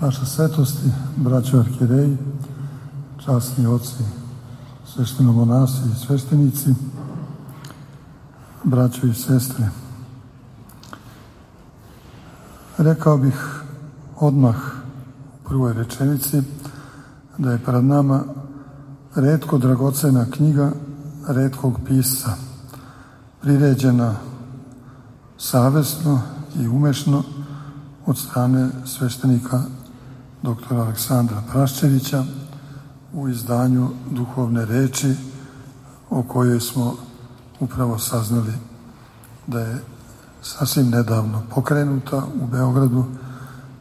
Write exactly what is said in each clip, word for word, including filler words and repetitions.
Vaša svetosti, braćo arhijereji, časni oci, sveštenomonasi i sveštenici, braćo i sestre. Rekao bih odmah u prvoj rečenici da je pred nama retko dragocena knjiga retkog pisca, priređena savesno i umešno od strane sveštenika doktora Aleksandra Praščevića u izdanju Duhovne reči, o kojoj smo upravo saznali da je sasvim nedavno pokrenuta u Beogradu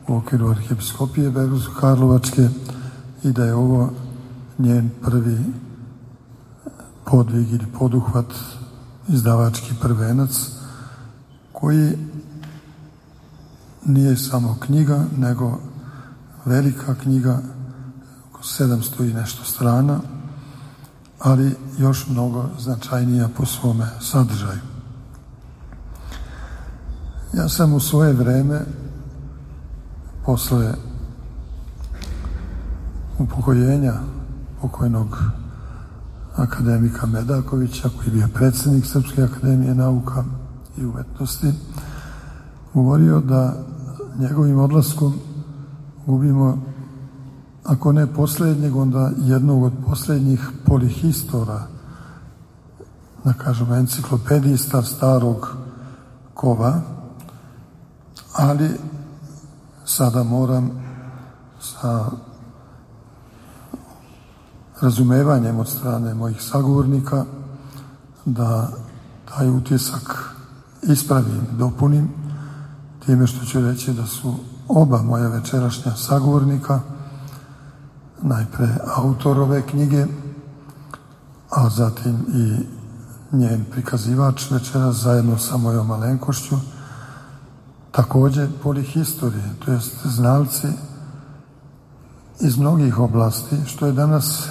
u okviru Arhiepiskopije Beogradsko-Karlovačke i da je ovo njen prvi podvig ili poduhvat, izdavački prvenac, koji nije samo knjiga, nego velika knjiga, oko sedamsto i nešto strana, ali još mnogo značajnija po svome sadržaju. Ja sam u svoje vreme, posle upokojenja pokojnog akademika Medakovića, koji je bio predsjednik Srpske akademije nauka i umetnosti, govorio da njegovim odlaskom gubimo, ako ne posljednjeg, onda jednog od posljednjih polihistora, da kažemo enciklopedista starog kova, ali sada moram sa razumevanjem od strane mojih sagovornika da taj utisak ispravim, dopunim, time što ću reći da su oba moja večerašnja sagovornika, najpre autor ove knjige, a zatim i njen prikazivač večeras zajedno sa mojom malenkošću, također polihistori, to jest znalci iz mnogih oblasti, što je danas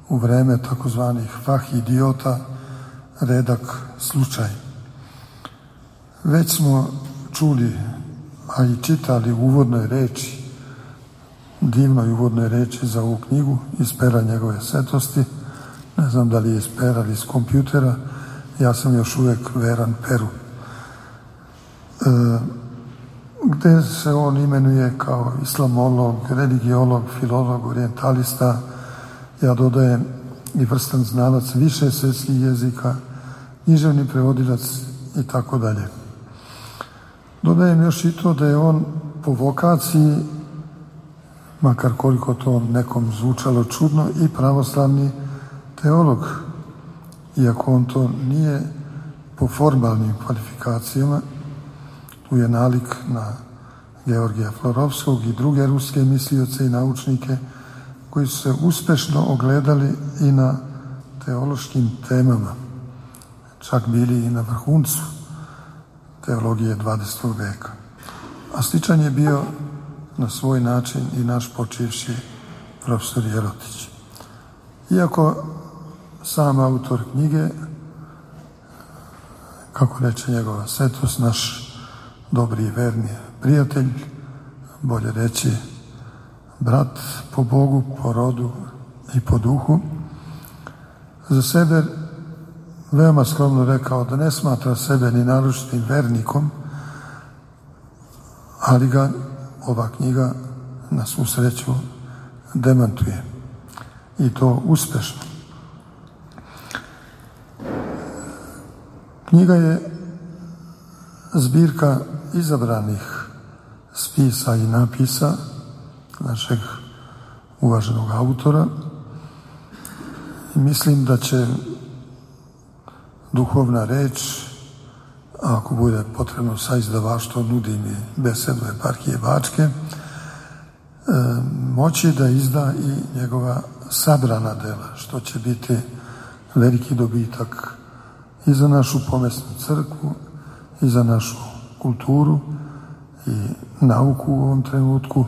u vreme takozvanih fah idiota redak slučaj. Već smo čuli, a i čitali u uvodnoj reči, divnoj uvodnoj reči za ovu knjigu iz pera njegove svetosti, ne znam da li je iz pera ili iz kompjutera, ja sam još uvijek veran peru, e, gde se on imenuje kao islamolog, religiolog, filolog, orijentalista, ja dodajem i vrstan znalac više svjetskih jezika, književni prevodilac i tako dalje. Dodajem još i to da je on po vokaciji, makar koliko to nekom zvučalo čudno, i pravoslavni teolog, iako on to nije po formalnim kvalifikacijama. Tu je nalik na Georgija Florovskog i druge ruske mislioce i naučnike koji su se uspešno ogledali i na teološkim temama, čak bili i na vrhuncu teologije dvadesetog veka. A sličan je bio na svoj način i naš počivši profesor Jerotić. Iako sam autor knjige, kako reče njegova svetost, naš dobri i verni prijatelj, bolje reći brat po Bogu, po rodu i po duhu, za sebe veoma skromno rekao da ne smatra sebe ni naročitim vernikom, ali ga ova knjiga na svu sreću demantuje, i to uspešno. Knjiga je zbirka izabranih spisa i napisa našeg uvaženog autora i mislim da će Duhovna reč, a ako bude potrebno sa izdavaštvom, nudi mi besedu eparhije Bačke, e, moći da izda i njegova sabrana dela, što će biti veliki dobitak i za našu pomesnu crkvu, i za našu kulturu i nauku u ovom trenutku,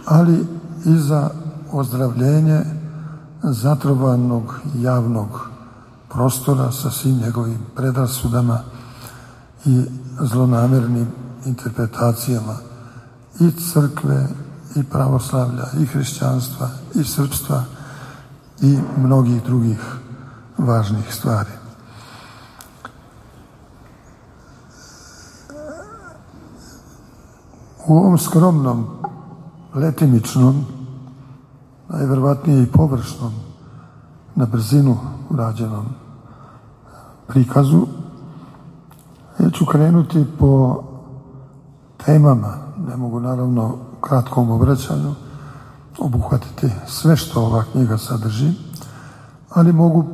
ali i za ozdravljenje zatrovanog javnog prostora sa svim njegovim predrasudama i zlonamernim interpretacijama i crkve, i pravoslavlja, i hrišćanstva, i srpstva, i mnogih drugih važnih stvari. U ovom skromnom, letimičnom, najverovatnije i površnom, na brzinu urađenom prikazu, ja ću krenuti po temama. Ne mogu naravno u kratkom obraćanju obuhvatiti sve što ova knjiga sadrži, ali mogu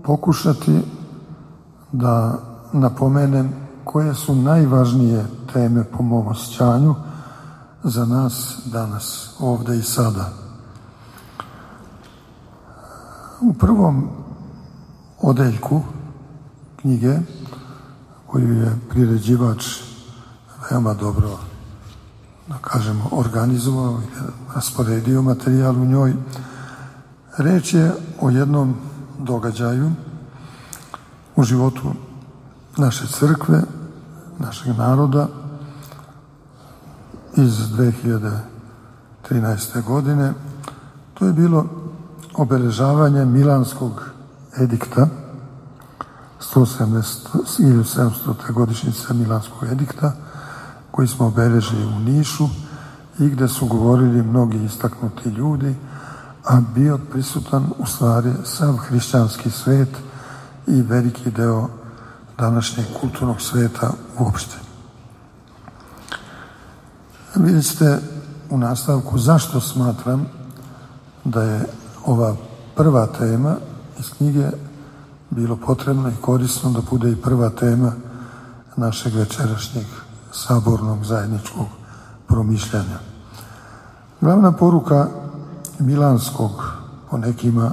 pokušati da napomenem koje su najvažnije teme po mom osjećanju za nas danas, ovde i sada. U prvom odeljku knjige, koju je priređivač veoma dobro, da kažemo, organizovao i rasporedio materijal u njoj, reč je o jednom događaju u životu naše crkve, našeg naroda iz dve hiljade trinaeste. godine. To je bilo obeležavanje Milanskog edikta, hiljadu sedamstota. godišnjice Milanskog edikta, koji smo obeležili u Nišu i gde su govorili mnogi istaknuti ljudi, a bio prisutan u stvari sav hrišćanski svet i veliki deo današnjeg kulturnog sveta uopšte. Vidjet ćete u nastavku zašto smatram da je ova prva tema iz knjige bilo potrebno i korisno da bude i prva tema našeg večerašnjeg sabornog zajedničkog promišljanja. Glavna poruka Milanskog, po nekima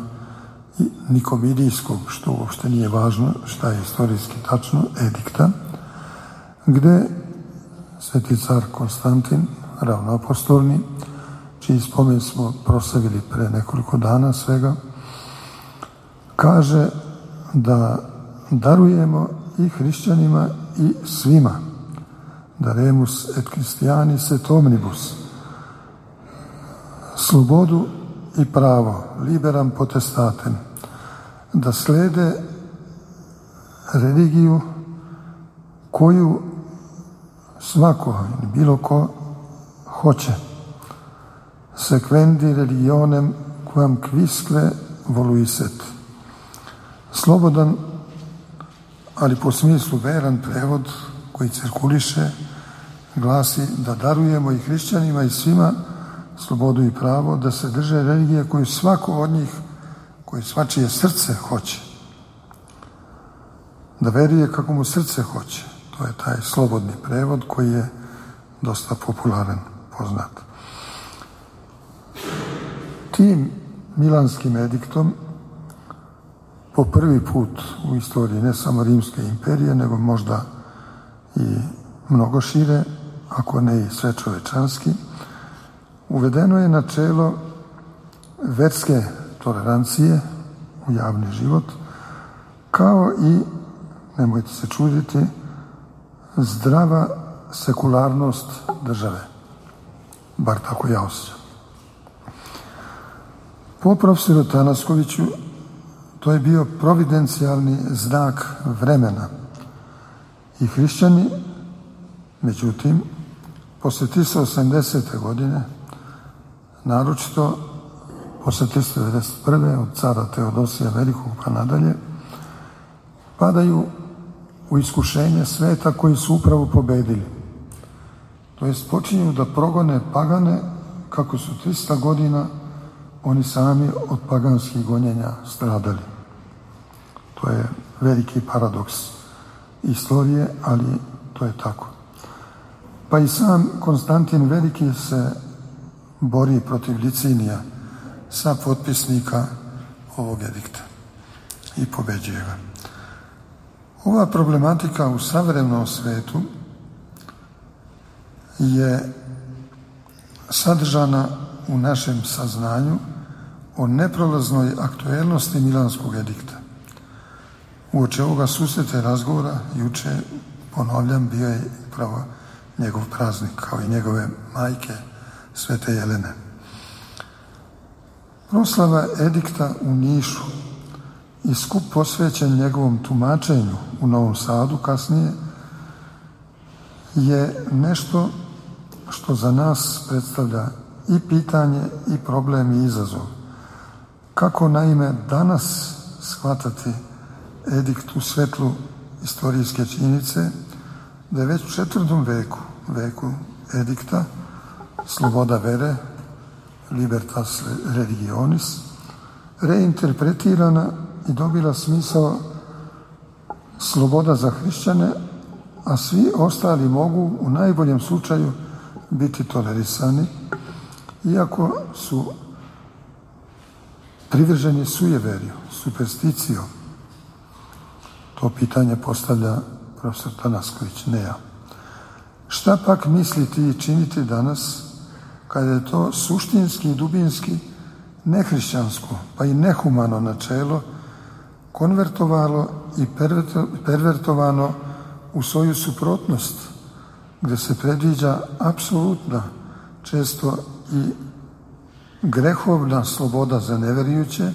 i Nikomidijskog, što uopšte nije važno, šta je istorijski tačno, edikta, gde sveti car Konstantin, ravnoapostolni, čiji spomen smo proslavili pre nekoliko dana svega, kaže da darujemo i hrišćanima i svima, daremus et Christianis et omnibus, slobodu i pravo, liberam potestatem, da slede religiju koju svako, bilo ko hoće, sequendi religionem quam quisque voluiset. Slobodan, ali po smislu veran prevod koji cirkuliše, glasi da darujemo i hrišćanima i svima slobodu i pravo da se drže religije koju svako od njih, koju svačije srce hoće. Da veruje kako mu srce hoće. To je taj slobodni prevod koji je dosta popularan, poznat. Tim Milanskim ediktom po prvi put u istoriji ne samo Rimske imperije, nego možda i mnogo šire, ako ne i svečovečanski, uvedeno je načelo verske tolerancije u javni život, kao i, nemojte se čuditi, zdrava sekularnost države. Bar tako ja osjećam. Po profesoru Tanaskoviću to je bio providencijalni znak vremena. I hrišćani, međutim, posle trista osamdesete. godine, naročito posle trista devedeset prve. od cara Teodosija Velikog pa nadalje, padaju u iskušenje sveta koji su upravo pobedili. To jest počinju da progone pagane kako su trista godina oni sami od paganskih gonjenja stradali. To je veliki paradoks istorije, ali to je tako. Pa i sam Konstantin Veliki se bori protiv Licinija sa potpisnika ovog edikta i pobeđuje ga. Ova problematika u savremenom svetu je sadržana u našem saznanju o neprolaznoj aktuelnosti Milanskog edikta. Uoči ovoga susreta razgovora, juče, ponavljam, bio je upravo njegov praznik, kao i njegove majke, Svete Jelene. Proslava edikta u Nišu i skup posvećen njegovom tumačenju u Novom Sadu kasnije je nešto što za nas predstavlja i pitanje i problem i izazov. Kako naime danas shvatati edikt u svetlu istorijske činjenice da je već u četvrtom veku, veku edikta, sloboda vere, libertas religionis, reinterpretirana i dobila smisao sloboda za hrišćane, a svi ostali mogu u najboljem slučaju biti tolerisani, iako su privrženi sujeveriju, supersticijom. To pitanje postavlja profesor Tanasković, ne ja. Šta pak misliti i činiti danas kada je to suštinski i dubinski nehrišćansko, pa i nehumano načelo konvertovalo i pervertovano u svoju suprotnost, gde se predviđa apsolutna, često i grehovna sloboda za neverujuće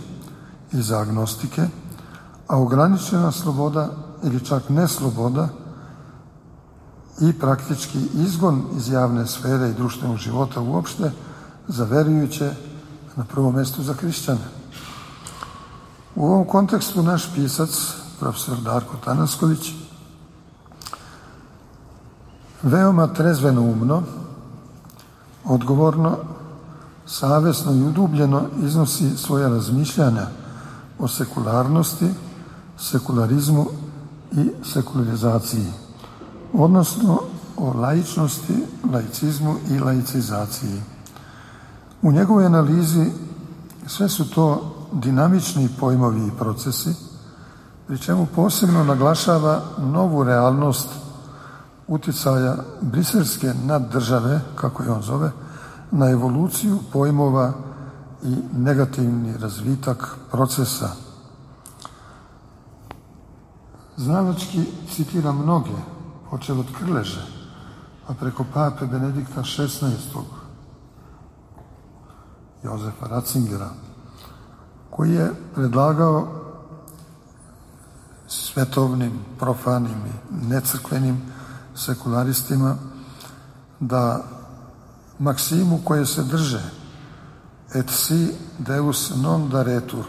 i za agnostike, a ograničena sloboda ili čak nesloboda i praktički izgon iz javne sfere i društvenog života uopšte za verujuće, na prvom mjestu za hrišćane. U ovom kontekstu naš pisac, profesor Darko Tanasković, veoma trezveno umno, odgovorno, savesno i udubljeno iznosi svoja razmišljanja o sekularnosti, sekularizmu i sekularizaciji, odnosno o laičnosti, laicizmu i laicizaciji. U njegovoj analizi sve su to dinamični pojmovi i procesi, pri čemu posebno naglašava novu realnost uticaja briselske naddržave, kako je on zove, na evoluciju pojmova i negativni razvitak procesa. Znalački citira mnoge, počeo od Krleže, a preko pape Benedikta šesnaestog, Jozefa Ratzingera, koji je predlagao svetovnim, profanim i necrkvenim sekularistima da maksimu koje se drže et si deus non daretur,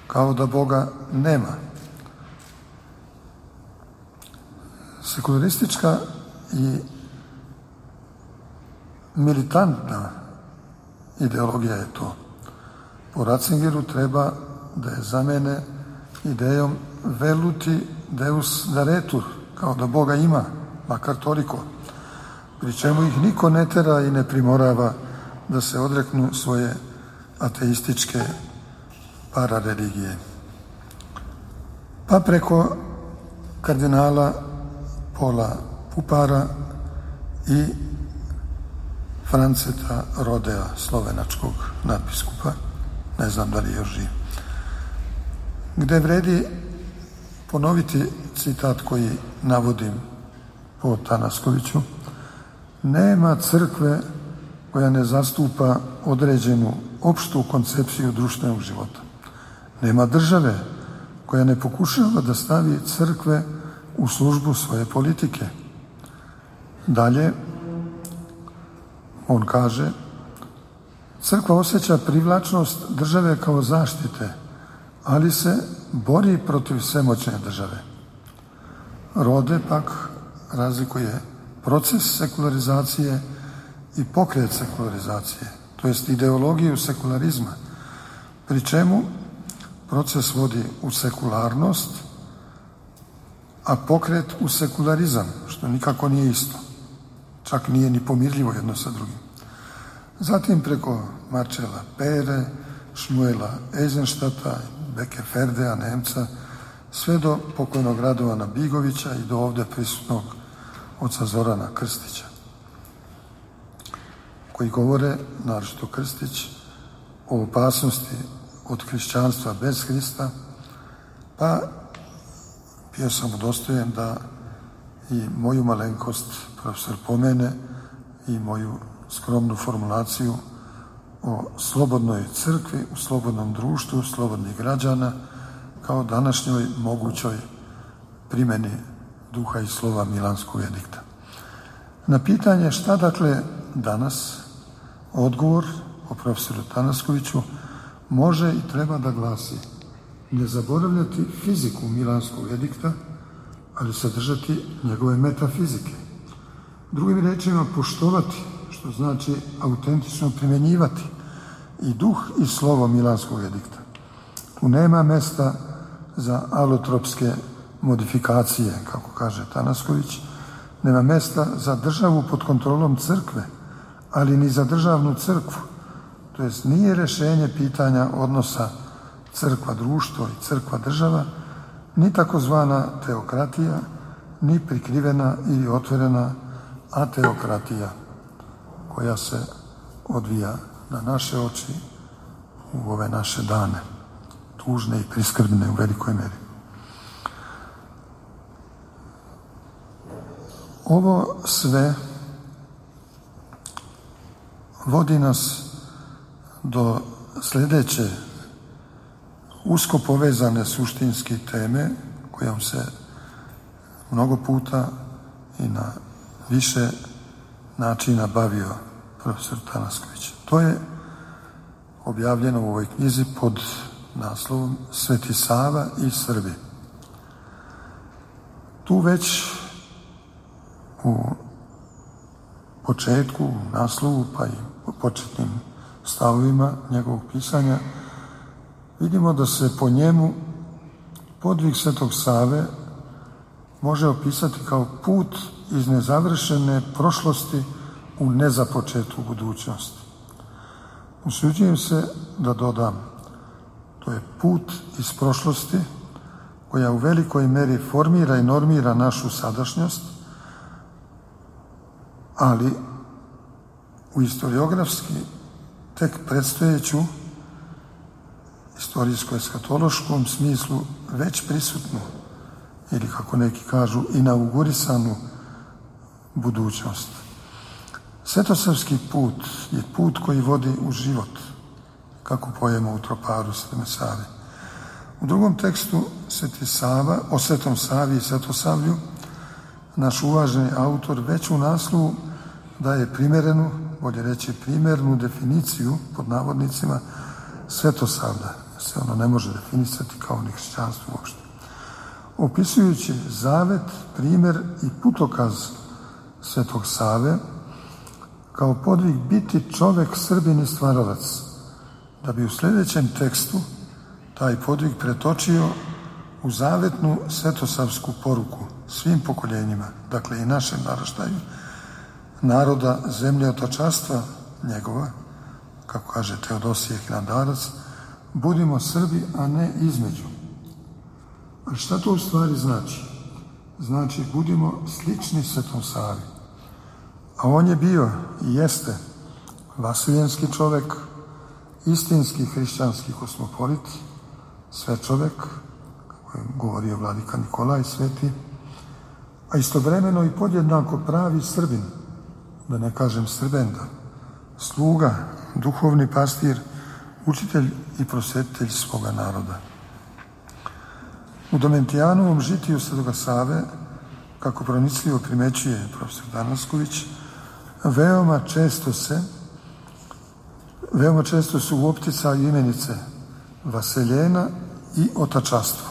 kao da Boga nema. Sekularistička i militantna ideologija je to. Po Ratzingeru treba da je zamene idejom veluti deus daretur, kao da Boga ima, makar toliko, pri čemu ih niko ne tera i ne primorava da se odreknu svoje ateističke parareligije. Pa preko kardinala Pola Pupara i Franceta Rodea, slovenačkog nadbiskupa, ne znam da li je još živ, gde vredi ponoviti citat koji navodim po Tanaskoviću: nema crkve koja ne zastupa određenu opštu koncepciju društvenog života. Nema države koja ne pokušava da stavi crkve u službu svoje politike. Dalje, on kaže, crkva osjeća privlačnost države kao zaštite, ali se bori protiv svemoćne države. Rode pak razlikuje proces sekularizacije i pokret sekularizacije, to jest ideologiju sekularizma, pri čemu proces vodi u sekularnost, a pokret u sekularizam, što nikako nije isto. Čak nije ni pomirljivo jedno sa drugim. Zatim preko Marčela Pere, Šmuela Eisenštata, Bekeferdea, Nemca, sve do pokojnog Radovana Bigovića i do ovde prisutnog oca Zorana Krstića, koji govore, naročito Krstić, o opasnosti od hrišćanstva bez Hrista, pa bio sam udostojen da i moju malenkost profesor pomene i moju skromnu formulaciju o slobodnoj crkvi u slobodnom društvu slobodnih građana kao današnjoj mogućoj primjeni duha i slova Milanskog edikta. Na pitanje šta dakle danas, odgovor o profesoru Tanaskoviću može i treba da glasi: ne zaboravljati fiziku Milanskog edikta, ali sadržati njegove metafizike. Drugim rečima, poštovati, što znači autentično primjenjivati i duh i slovo Milanskog edikta. Tu nema mesta za alotropske modifikacije, kako kaže Tanasković, nema mesta za državu pod kontrolom crkve, ali ni za državnu crkvu. To jest nije rješenje pitanja odnosa crkva društvo i crkva država, ni takozvana teokratija, ni prikrivena ili otvorena ateokratija koja se odvija na naše oči u ove naše dane, tužne i priskrbne u velikoj meri. Ovo sve vodi nas do sljedeće usko povezane suštinske teme kojom se mnogo puta i na više načina bavio profesor Tanasković. To je objavljeno u ovoj knjizi pod naslovom Sveti Sava i Srbi. Tu već u početku, u naslovu, pa i u početnim stavovima njegovog pisanja vidimo da se po njemu podvig Svetog Save može opisati kao put iz nezavršene prošlosti u nezapočetu budućnost. Usuđujem se da dodam, to je put iz prošlosti koja u velikoj meri formira i normira našu sadašnjost, ali u historiografski tek predstojeću istorijsko-eskatološkom smislu već prisutnu ili, kako neki kažu, inaugurisanu budućnost. Svetosavski put je put koji vodi u život, kako pojemo u troparu Svete Save. U drugom tekstu Sveti Sava, o Svetom Savi i Svetosavlju, naš uvaženi autor već u naslovu daje primjerenu, bolje reći primjernu definiciju, pod navodnicima, Svetosavlja. Se ono ne može definisati kao ni hrišćanstvo uopšte. Opisujući zavet, primjer i putokaz Svetog Save kao podvig biti čovek, Srbin i stvaralac, da bi u sljedećem tekstu taj podvig pretočio u zavetnu svetosavsku poruku svim pokoljenjima, dakle i našem naraštaju, naroda zemlje otačanstva njegova, kako kaže Teodosije Hilandarac, budimo Srbi, a ne između. A šta to u stvari znači? Znači, budimo slični Svetom Savi. A on je bio i jeste vasiljenski čovek, istinski hrišćanski kosmopolit, sve čovek, kako je govorio vladika Nikolaj Sveti, a istovremeno i podjednako pravi Srbin, da ne kažem Srbenda, sluga, duhovni pastir, učitelj i prosvetitelj svoga naroda. U Domentijanovom žitiju Svetoga Save, kako pronicljivo primećuje profesor Tanasković, veoma često se veoma često su u opticaju imenice vaseljena i otačastvo,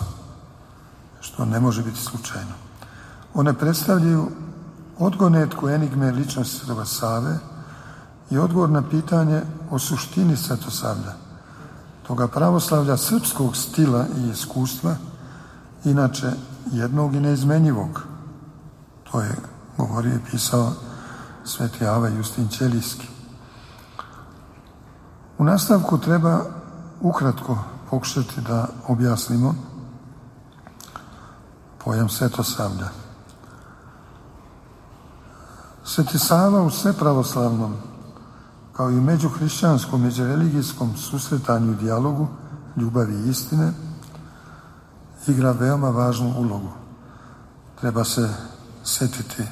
što ne može biti slučajno. One predstavljaju odgonetku enigme ličnosti Svetoga Save i odgovor na pitanje o suštini Svetosavlja, toga pravoslavlja srpskog stila i iskustva, inače jednog i neizmenjivog. To je govorio i pisao Sveti Ava Justin Ćelijski. U nastavku treba ukratko pokušati da objasnimo pojam Svetosavlja. Sveti Sava u svepravoslavnom, kao i u međuhrišćanskom, međureligijskom susretanju i dijalogu, ljubavi i istine, igra veoma važnu ulogu. Treba se sjetiti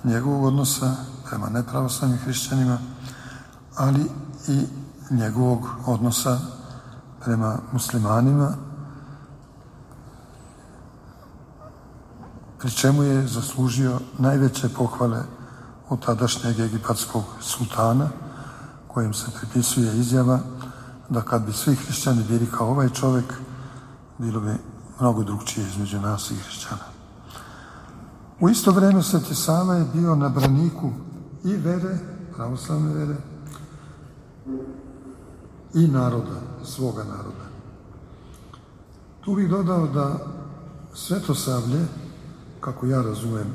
njegovog odnosa prema nepravoslavnim hrišćanima, ali i njegovog odnosa prema muslimanima, pri čemu je zaslužio najveće pohvale od tadašnjeg egipatskog sultana, kojem se pripisuje izjava da kad bi svi hrišćani bili kao ovaj čovjek, bilo bi mnogo drugčije između nas i hrišćana. U isto vrijeme Sveti Sava je bio na braniku i vere, pravoslavne vere, i naroda, svoga naroda. Tu bih dodao da svetosavlje, kako ja razumijem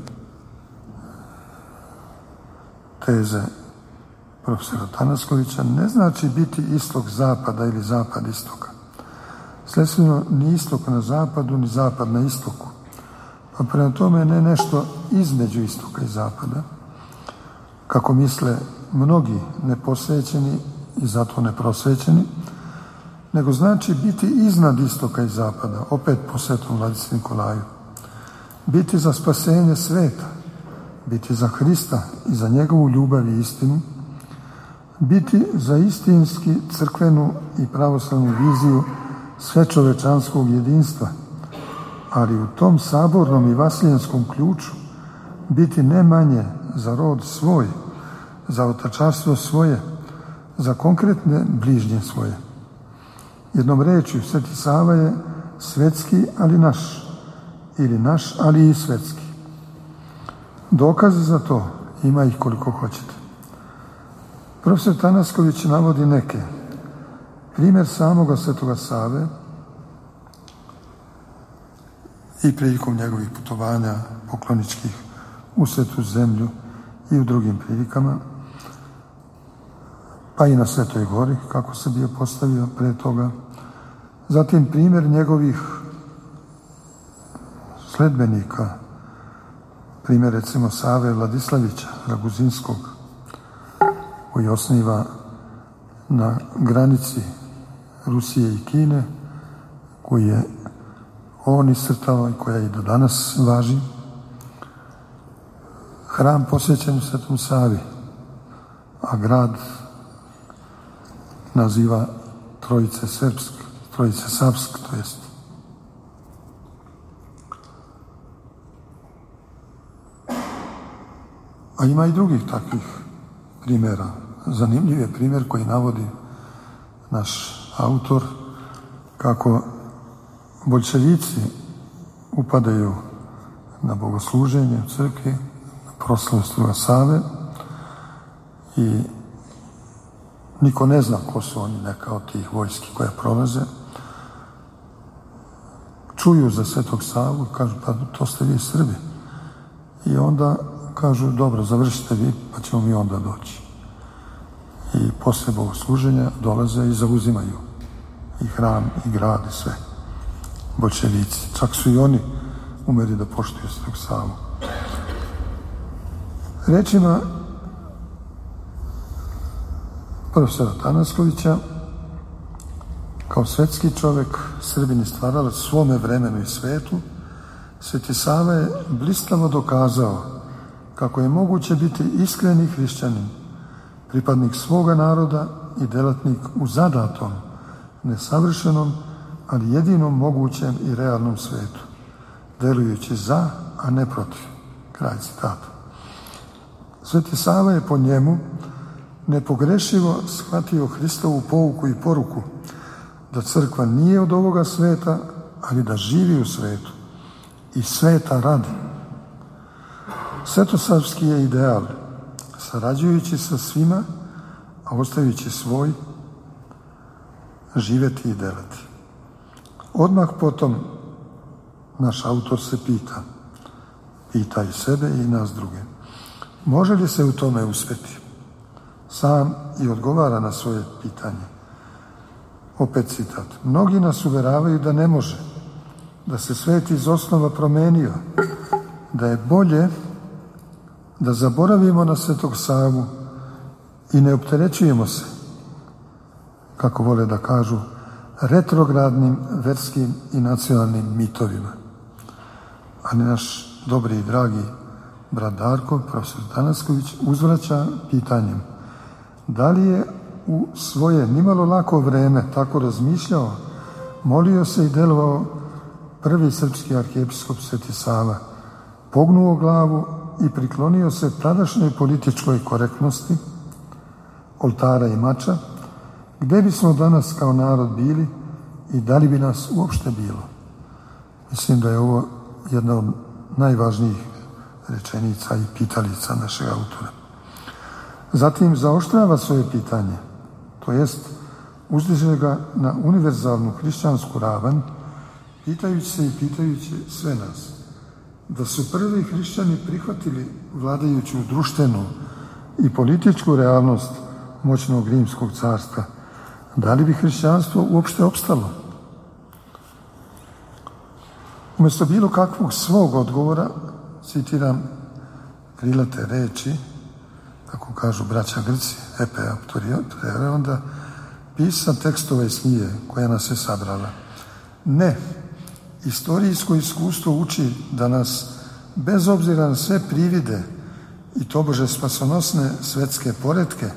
teze profesora Tanaskovića, ne znači biti istok zapada ili zapad istoka. Sledstveno, ni istok na zapadu, ni zapad na istoku. Pa prema tome ne nešto između istoka i zapada, kako misle mnogi neposvećeni i zato neprosvećeni, nego znači biti iznad istoka i zapada, opet po svetom Vladici Nikolaju. Biti za spasenje sveta, biti za Hrista i za njegovu ljubav i istinu, biti za istinski crkvenu i pravoslavnu viziju svečovečanskog jedinstva, ali u tom sabornom i vaslijenskom ključu biti ne manje za rod svoj, za otačarstvo svoje, za konkretne bližnje svoje. Jednom rečju, Sveti Sava je svetski, ali naš, ili naš, ali i svetski. Dokaze za to ima ih koliko hoćete. Profesor Tanasković navodi neke. Primjer samoga Svetoga Save i prilikom njegovih putovanja pokloničkih u Svetu zemlju i u drugim prilikama, pa i na Svetoj gori, kako se bio postavio pre toga. Zatim primjer njegovih sledbenika, primjer recimo Save Vladislavića Raguzinskog, koji osniva na granici Rusije i Kine, koji je on iscrtao i koja i do danas važi, hram posvećen Svetom Savi, a grad naziva Trojice Srpsk, Trojice Savsk, to jest. A ima i drugih takvih primjera. Zanimljiv je primjer koji navodi naš autor, kako boljševici upadaju na bogosluženje u crkvi, na proslavu Svetoga Save i niko ne zna ko su oni, neka od tih vojski koje prolaze. Čuju za Svetog Savu i kažu, pa to ste vi Srbi. I onda kažu, dobro, završite vi, pa ćemo mi onda doći. I posle bogosluženja dolaze i zauzimaju i hram, i grad, i sve. Boljševici. Čak su i oni umeli da poštuju Svetog Savu. Rečima profesora Tanaskovića, kao svetski čovek, Srbin i stvaralac svome vremenu i svetu, Sveti Sava je blistavo dokazao kako je moguće biti iskreni hrišćanin, pripadnik svoga naroda i delatnik u zadatom, nesavršenom, ali jedinom mogućem i realnom svetu, delujući za, a ne protiv. Kraj citata. Sveti Sava je po njemu nepogrešivo shvatio Hristovu pouku i poruku da crkva nije od ovoga sveta, ali da živi u svetu i sveta radi. Svetosavski je ideal, sarađujući sa svima, a ostajući svoj, živeti i delati. Odmah potom naš autor se pita, pita i sebe i nas druge, može li se u tome uspjeti? Sam i odgovara na svoje pitanje. Opet citat. Mnogi nas uveravaju da ne može, da se svet iz osnova promenio, da je bolje da zaboravimo na Svetog Savu i ne opterećujemo se, kako vole da kažu, retrogradnim verskim i nacionalnim mitovima. Ali naš dobri i dragi brat Darko, profesor Tanasković, uzvraća pitanjem da li je u svoje nimalo lako vreme tako razmišljao, molio se i delovao prvi srpski arhijepiskop Sveti Sava, pognuo glavu i priklonio se tadašnjoj političkoj korektnosti, oltara i mača, gde bismo danas kao narod bili i da li bi nas uopšte bilo. Mislim da je ovo jedna od najvažnijih rečenica i pitalica našeg autora. Zatim zaoštrava svoje pitanje, to jest uzdiže ga na univerzalnu hrišćansku ravan, pitajući se i pitajući sve nas, da su prvi hrišćani prihvatili vladajuću društvenu i političku realnost moćnog rimskog carstva, da li bi hrišćanstvo uopšte opstalo? Umjesto bilo kakvog svog odgovora, citiram krilate reči, kako kažu braća Grci, epe aptoriotore, onda pisa tekstove iz knjige koja nas je sabrala. Ne, istorijsko iskustvo uči da nas, bez obzira na sve privide i tobože spasonosne svetske poretke,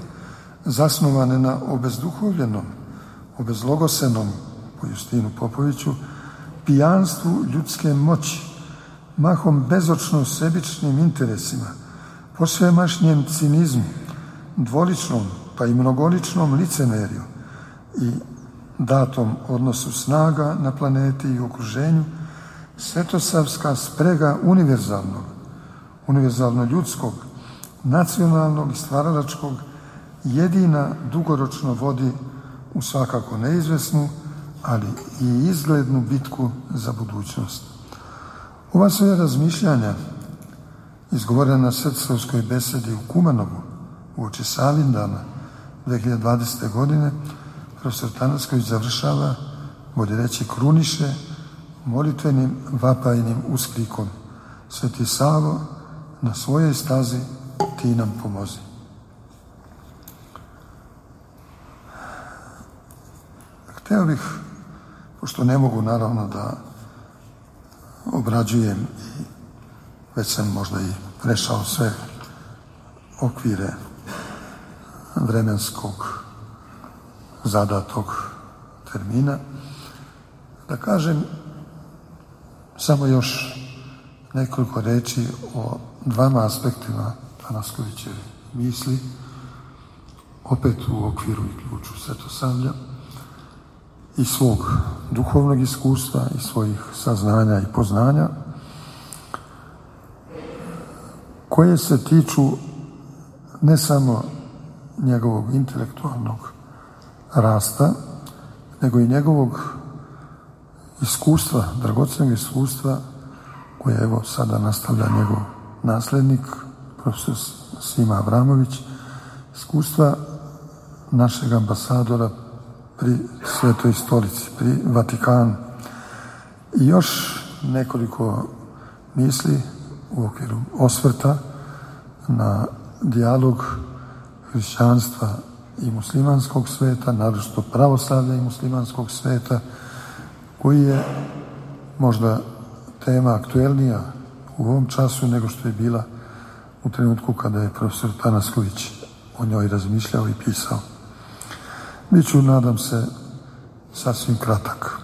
zasnovane na obezduhovljenom, obezlogosenom, po Justinu Popoviću, pijanstvu ljudske moći, mahom bezočno sebičnim interesima, posvemašnjem cinizmu, dvoličnom pa i mnogoličnom licemerju i datom odnosu snaga na planeti i okruženju, svetosavska sprega univerzalnog, univerzalno ljudskog, nacionalnog i stvaralačkog jedina dugoročno vodi u svakako neizvesnu, ali i izglednu bitku za budućnost. Ova sve razmišljanja, izgovorena na srpskovskoj besedi u Kumanovu uoči Savindana dve hiljade dvadesete. godine, profesor Tanasković završava, bolje reći kruniše, molitvenim vapajnim usklikom: Sveti Savo, na svojoj stazi ti nam pomozi. Hteo bih, pošto ne mogu naravno da obrađujem i već sam možda i prešao sve okvire vremenskog zadatog termina, da kažem samo još nekoliko reči o dvama aspektima Tanaskovićeve misli, opet u okviru i ključu Svetosavlja, i svog duhovnog iskustva i svojih saznanja i poznanja, koje se tiču ne samo njegovog intelektualnog rasta, nego i njegovog iskustva, dragocenog iskustva, koje evo sada nastavlja njegov naslednik, profesor Sima Avramović, iskustva našeg ambasadora pri Svetoj stolici, pri Vatikanu. I još nekoliko misli u okviru osvrta na dijalog hrišćanstva i muslimanskog sveta, naročito pravoslavlja i muslimanskog sveta, koji je možda tema aktuelnija u ovom času nego što je bila u trenutku kada je profesor Tanasković o njoj razmišljao i pisao. Biću, nadam se, sasvim kratak.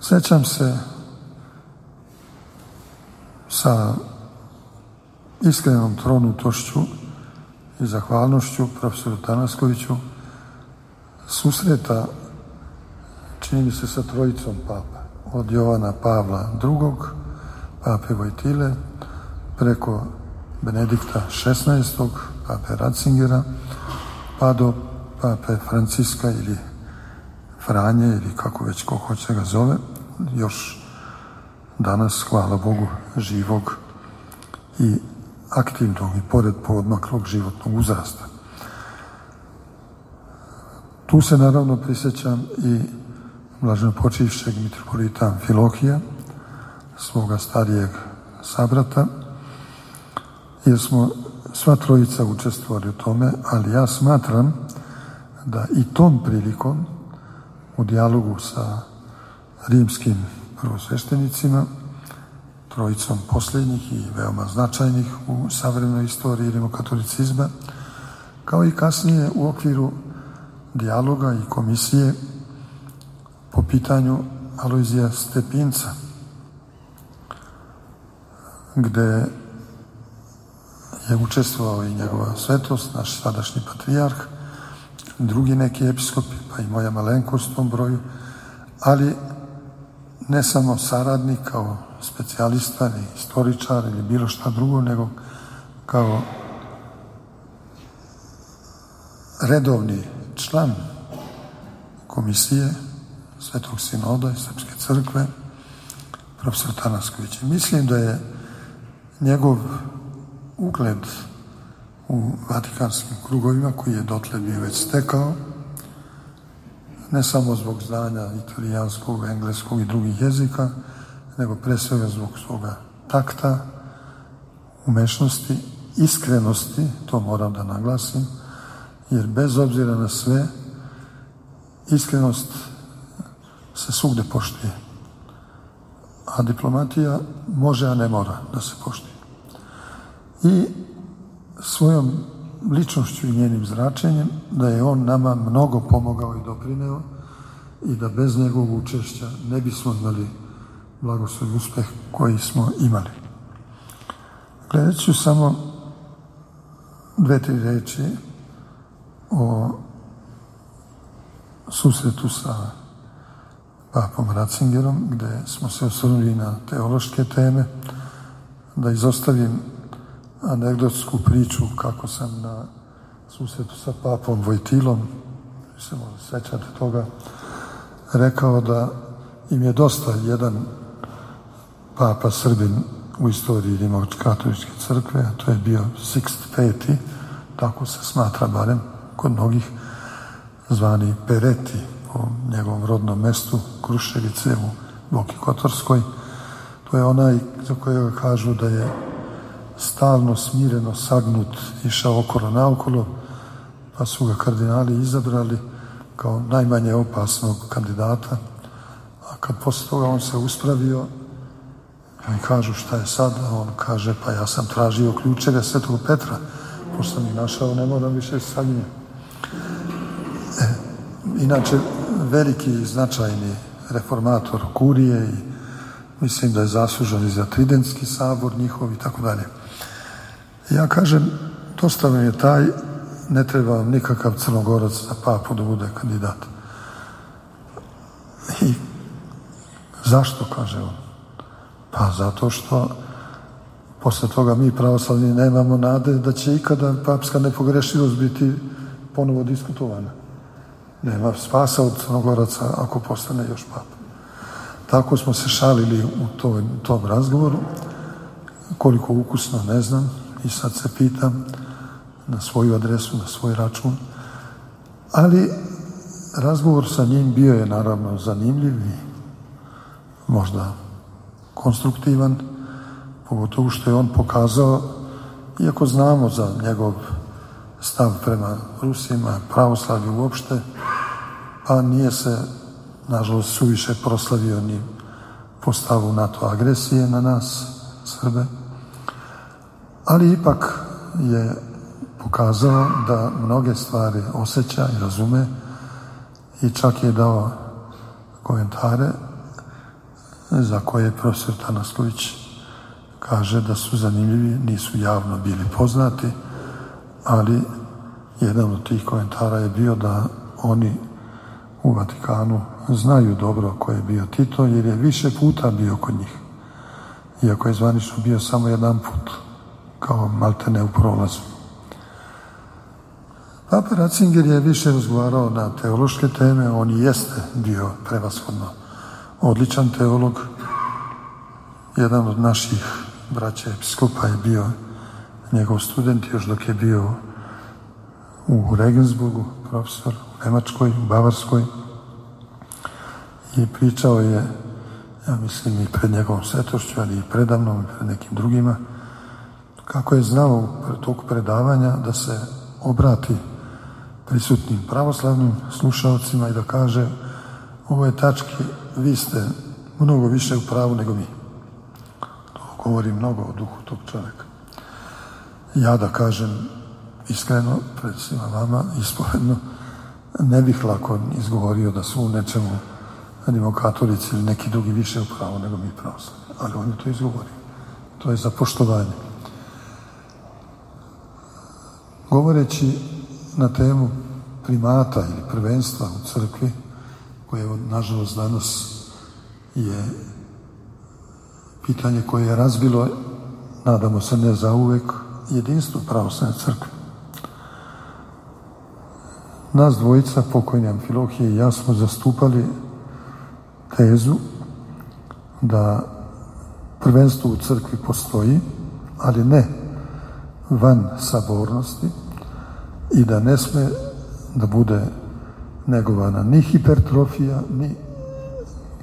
Sećam se sa iskrenom tronutošću i zahvalnošću profesoru Tanaskoviću susreta, čini mi se, sa trojicom papa, od Jovana Pavla drugog, pape Vojtile, preko Benedikta šesnaestog, pape Ratzingera, pa do pape Franciska ili Franje, ili kako već ko hoće ga zove, još danas, hvala Bogu, živog i aktivnog i pored poodmaklog životnog uzrasta. Tu se naravno prisjećam i blaženopočivšeg mitropolita Amfilohija, svoga starijeg sabrata, jer smo sva trojica učestvovali u tome, ali ja smatram da i tom prilikom u dijalogu sa rimskim prvosveštenicima trojicom posljednjih i veoma značajnih u savremenoj istoriji rimokatolicizma, kao i kasnije u okviru dijaloga i komisije po pitanju Alojzija Stepinca, gde je učestvovao i njegova svetost, naš sadašnji patrijarh, drugi neki episkopi, pa i moja malenkost u tom broju, ali ne samo saradnik kao specijalista ili istoričar ili bilo šta drugo, nego kao redovni član komisije Svetog sinoda i Srpske crkve, profesor Tanasković. Mislim da je njegov ugled u vatikanskim krugovima, koji je dotle bio već stekao, ne samo zbog znanja italijanskog, engleskog i drugih jezika, nego pre svega zbog svoga takta, umešnosti, iskrenosti, to moram da naglasim, jer bez obzira na sve, iskrenost se svugde poštuje. A diplomatija može, a ne mora da se poštuje. I svojom ličnošću i njenim zračenjem da je on nama mnogo pomogao i doprineo i da bez njegovog učešća ne bismo imali blagoslov i uspeh koji smo imali. Gledat ću samo dve, tri reči o susretu sa papom Ratzingerom, gde smo se osvrnuli na teološke teme, da izostavim anegdotsku priču kako sam na susretu sa papom Vojtilom, se možda sećate toga, rekao da im je dosta jedan papa Srbin u istoriji Rimokatoličke crkve, a to je bio Sixt peti, tako se smatra barem kod mnogih, zvani Pereti, po njegovom rodnom mestu Kruševice u Boki Kotorskoj. To je onaj za kojega kažu da je stalno, smireno, sagnut, išao okolo naokolo, pa su ga kardinali izabrali kao najmanje opasnog kandidata. A kad posle toga on se uspravio, i kažu šta je sad, a on kaže pa ja sam tražio ključeve Svetog Petra, pošto sam ih našao, ne moram više saginjati. E, inače, veliki i značajni reformator kurije i mislim da je zaslužan i za Tridentski sabor njihov i tako dalje. Ja kažem, dosta vam je taj, ne treba vam nikakav Crnogorac za papu da bude kandidat. I zašto, kaže on? Pa zato što posle toga mi pravoslavni nemamo nade da će ikada papska nepogrešivost biti ponovo diskutovana. Nema spasa od Crnogoraca ako postane još papa. Tako smo se šalili u tom, tom razgovoru. Koliko ukusno, ne znam. I sad se pitam na svoju adresu, na svoj račun. Ali razgovor sa njim bio je naravno zanimljiv i možda konstruktivan, pogotovo što je on pokazao, iako znamo za njegov stav prema Rusima, pravoslavlju uopšte, a nije se, nažalost, suviše proslavio ni po stavu NATO agresije na nas, Srbe, ali ipak je pokazao da mnoge stvari osjeća i razume i čak je dao komentare za koje profesor Tanasković kaže da su zanimljivi, nisu javno bili poznati, ali jedan od tih komentara je bio da oni u Vatikanu znaju dobro ko je bio Tito, jer je više puta bio kod njih, iako je zvanično bio samo jedan put, kao maltene u prolazu. Papa Ratzinger je više razgovarao na teološke teme, on i jeste bio prevashodno odličan teolog. Jedan od naših braća episkopa je bio njegov student još dok je bio u Regensburgu, profesor u Nemačkoj, u Bavarskoj, i pričao je, ja mislim i pred njegovom svetošću, ali i predavnom i pred nekim drugima, kako je znao u toku predavanja da se obrati prisutnim pravoslavnim slušalcima i da kaže: ovoj tački vi ste mnogo više u pravu nego mi. To govori mnogo o duhu tog čovjeka. Ja da kažem iskreno, pred svima vama, ispovedno, ne bih lako izgovorio da su u nečemu rimokatolici ili neki drugi više u pravu nego mi pravoslavni. Ali on je to izgovorio. To je za poštovanje. Govoreći na temu primata ili prvenstva u crkvi, koje nažalost danas je pitanje koje je razbilo, nadamo se ne zauvek, jedinstvo pravoslavne crkve. Nas dvojica, pokojni Amfilohije i ja, smo zastupali tezu da prvenstvo u crkvi postoji, ali ne van sabornosti i da ne sme da bude negovana ni hipertrofija, ni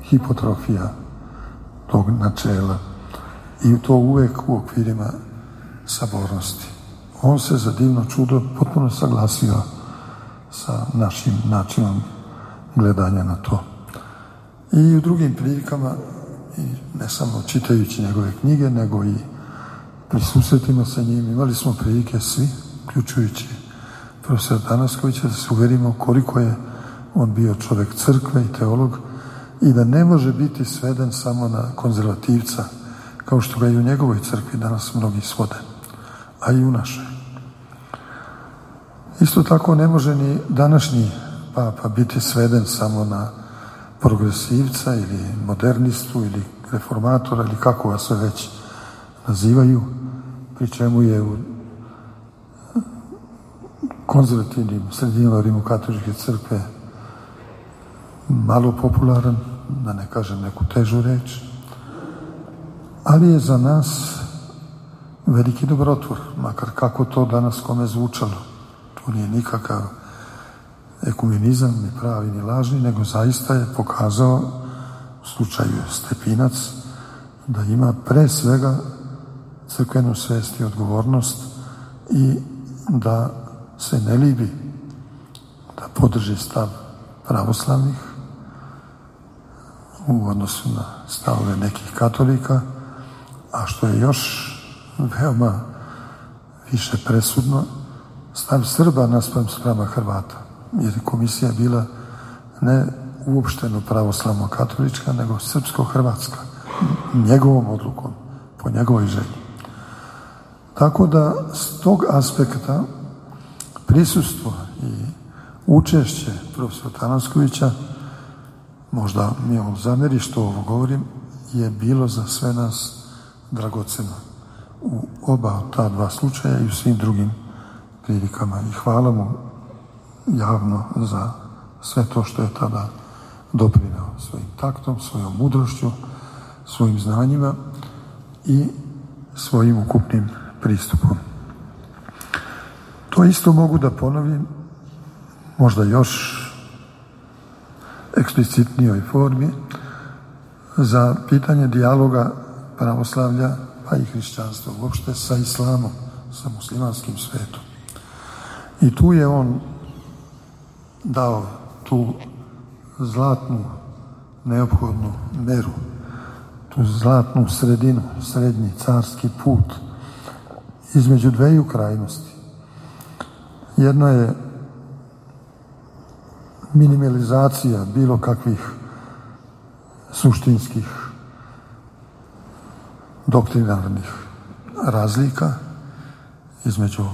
hipotrofija tog načela. I to uvek u okvirima sabornosti. On se za divno čudo potpuno saglasio sa našim načinom gledanja na to. I u drugim prilikama, i ne samo čitajući njegove knjige, nego i pri susretima sa njim, imali smo prilike svi, uključujući profesor Tanaskovića, da se uverimo koliko je on bio čovjek crkve i teolog i da ne može biti sveden samo na konzervativca, kao što ga i u njegovoj crkvi danas mnogi svode, a i u našoj. Isto tako ne može ni današnji papa biti sveden samo na progresivca ili modernistu ili reformatora ili kako vas sve već nazivaju, pri čemu je u konzervativnim sredinama rimokatoličke crkve malo popularan, da ne kažem neku težu reč, ali je za nas veliki dobrotvor, makar kako to danas kome zvučalo. To nije nikakav ekumenizam, ni pravi, ni lažni, nego zaista je pokazao u slučaju Stepinac da ima pre svega crkvenu svest i odgovornost i da se ne libi da podrži stav pravoslavnih u odnosu na stavove nekih katolika, a što je još veoma više presudno, stav Srba naspram sprama Hrvata, jer je komisija bila ne uopšteno pravoslavno katolička, nego srpsko-hrvatska, njegovom odlukom, po njegovoj želji. Tako da s tog aspekta prisustvo i učešće profesora Tanaskovića, možda mi on zameri što ovo govorim, je bilo za sve nas dragoceno u oba ta dva slučaja i u svim drugim prilikama. I hvala mu javno za sve to što je tada doprineo svojim taktom, svojom mudrošću, svojim znanjima i svojim ukupnim pristupom. To isto mogu da ponovim, možda još eksplicitnijoj formi, za pitanje dijaloga pravoslavlja, pa i hrišćanstva uopšte, sa islamom, sa muslimanskim svetom. I tu je on dao tu zlatnu, neophodnu meru, tu zlatnu sredinu, srednji carski put između dveju krajnosti. Jedno je minimalizacija bilo kakvih suštinskih doktrinarnih razlika između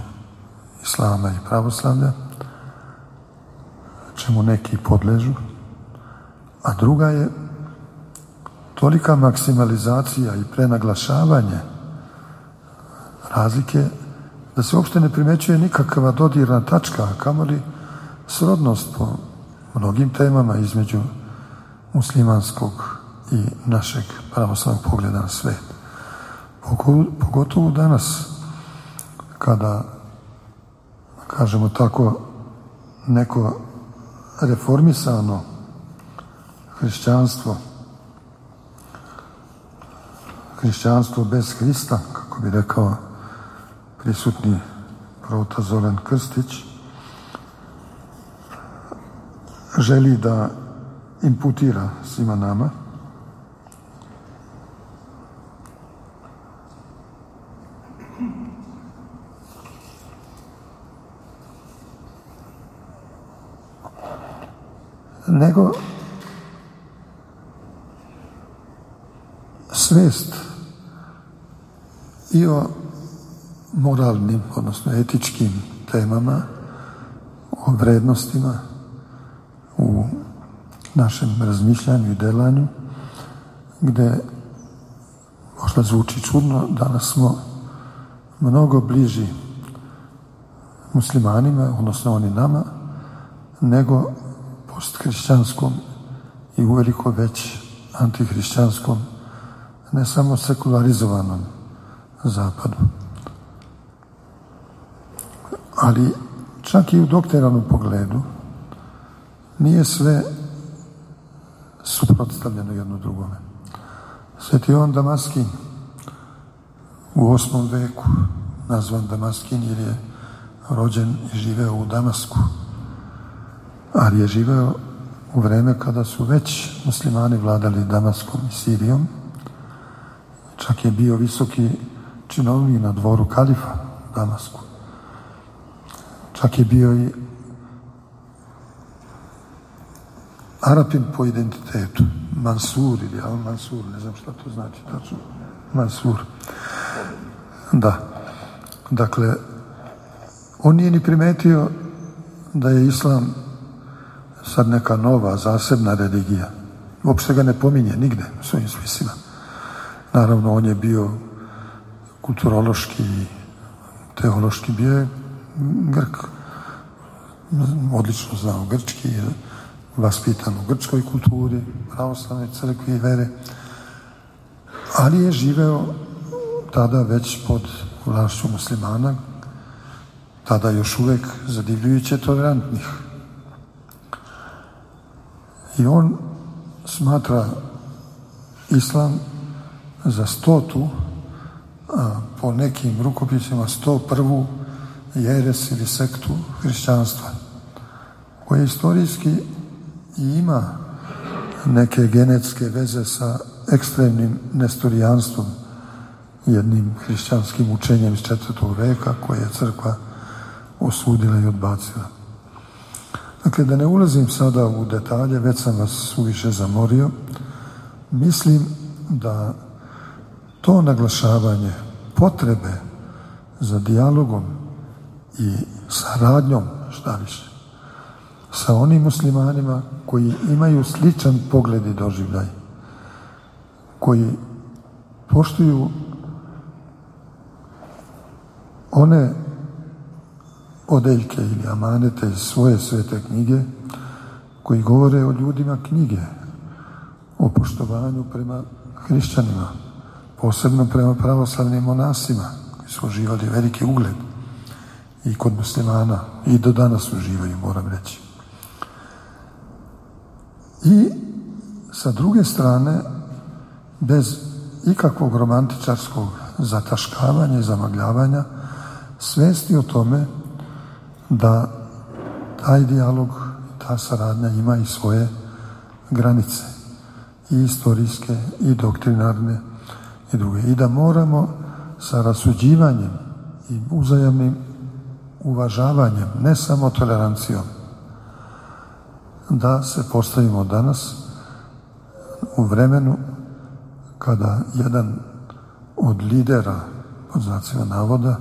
islama i pravoslavlja, čemu neki podležu, a druga je tolika maksimalizacija i prenaglašavanje razlike da se uopšte ne primećuje nikakva dodirna tačka, a kamoli srodnost po mnogim temama između muslimanskog i našeg pravoslavnog pogleda na svet. Pogotovo danas, kada, kažemo tako, neko reformisano hrišćanstvo, hrišćanstvo bez Hrista, kako bi rekao prisutni prota Zoran Krstić, želi da imputira svima nama nego svest i o moralnim, odnosno etičkim temama, o vrednostima u našem razmišljanju i delanju, gde možda zvuči čudno, danas smo mnogo bliži muslimanima, odnosno oni nama, nego posthrišćanskom i uveliko već antihrišćanskom, ne samo sekularizovanom zapadu. Ali čak i u doktrinarnom pogledu nije sve suprotstavljeno jedno drugome. Sveti Jovan Damaskin u osmom veku, nazvan Damaskin jer je rođen i živeo u Damasku, ali je živeo u vreme kada su već muslimani vladali Damaskom i Sirijom. Čak je bio visoki činovnik na dvoru kalifa u Damasku. Čak je bio i Arapin po identitetu, Mansur ili Al-Mansur, ne znam šta to znači tačno, Mansur. Da, dakle, on nije ni primetio da je islam sad neka nova, zasebna religija. Uopšte ga ne pominje nigde u svojim spisima. Naravno, on je bio kulturološki i teološki, bio je Grk. Odlično znao grčki, vaspitan u grčkoj kulturi, pravoslavnoj crkvi i vere, ali je živeo tada već pod vlašću muslimana, tada još uvek zadivljujuće tolerantnih. I on smatra islam za stotu, a po nekim rukopisima sto prvu jeres ili sektu hrišćanstva, koja istorijski i ima neke genetske veze sa ekstremnim nestorijanstvom, jednim hrišćanskim učenjem iz četvrtog veka koje je crkva osudila i odbacila. Dakle, da ne ulazim sada u detalje, već sam vas suviše zamorio, mislim da to naglašavanje potrebe za dijalogom i saradnjom, šta više, sa onim muslimanima koji imaju sličan pogled i doživljaj, koji poštuju one odeljke ili amanete iz svoje svete knjige, koji govore o ljudima knjige, o poštovanju prema hrišćanima, posebno prema pravoslavnim monasima, koji su uživali veliki ugled i kod muslimana, i do danas uživaju, moram reći. I sa druge strane, bez ikakvog romantičarskog zataškavanja i zamagljavanja, svesti o tome da taj dijalog, ta saradnja ima i svoje granice, i istorijske, i doktrinarne, i druge. I da moramo sa rasuđivanjem i uzajamnim uvažavanjem, ne samo tolerancijom, da se postavimo danas u vremenu kada jedan od lidera, pod znacima navoda,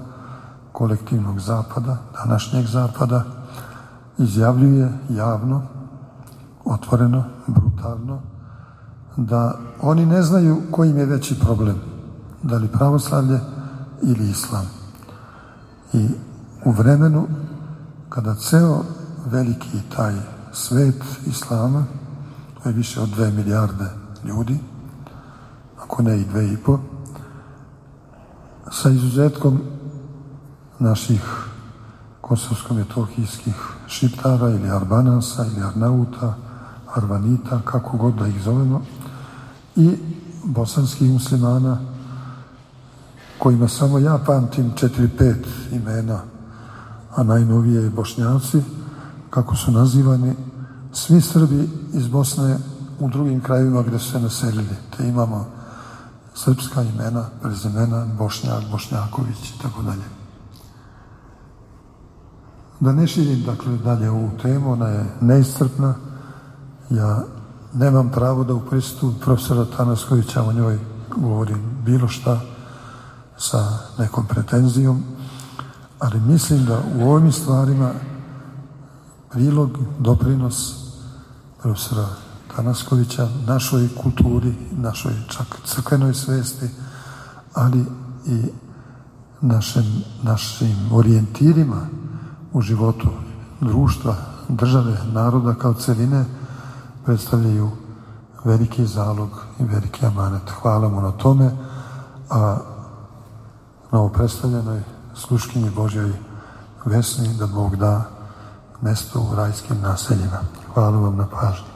kolektivnog zapada, današnjeg zapada, izjavljuje javno, otvoreno, brutalno, da oni ne znaju koji im je veći problem, da li pravoslavlje ili islam. I u vremenu kada ceo veliki taj svet islama, to je više od dve milijarde ljudi, ako ne i dve i po, sa izuzetkom naših kosovsko-metohijskih Šiptara ili Arbanasa ili Arnauta, Arvanita, kako god da ih zovemo, i bosanskih muslimana, kojima samo ja pamtim četiri, pet imena, a najnovije Bošnjaci, kako su nazivani svi Srbi iz Bosne u drugim krajevima gde su se naselili. Te imamo srpska imena, prezimena, Bošnjak, Bošnjaković i tako dalje. Da ne širim, dakle, dalje ovu temu, ona je neiscrpna Ja nemam pravo da u prisustvu profesora Tanaskovića o njoj govorim bilo šta sa nekom pretenzijom, ali mislim da u ovim stvarima prilog, doprinos profesora Tanaskovića našoj kulturi, našoj čak crkvenoj svesti, ali i našim, našim orijentirima u životu društva, države, naroda kao celine predstavljaju veliki zalog i veliki amanet. Hvala mu na tome, a novopredstavljenoj sluškinji Božjoj Vesni da Bog da mesto u rajskim naseljima. Hvala vam na pažnji.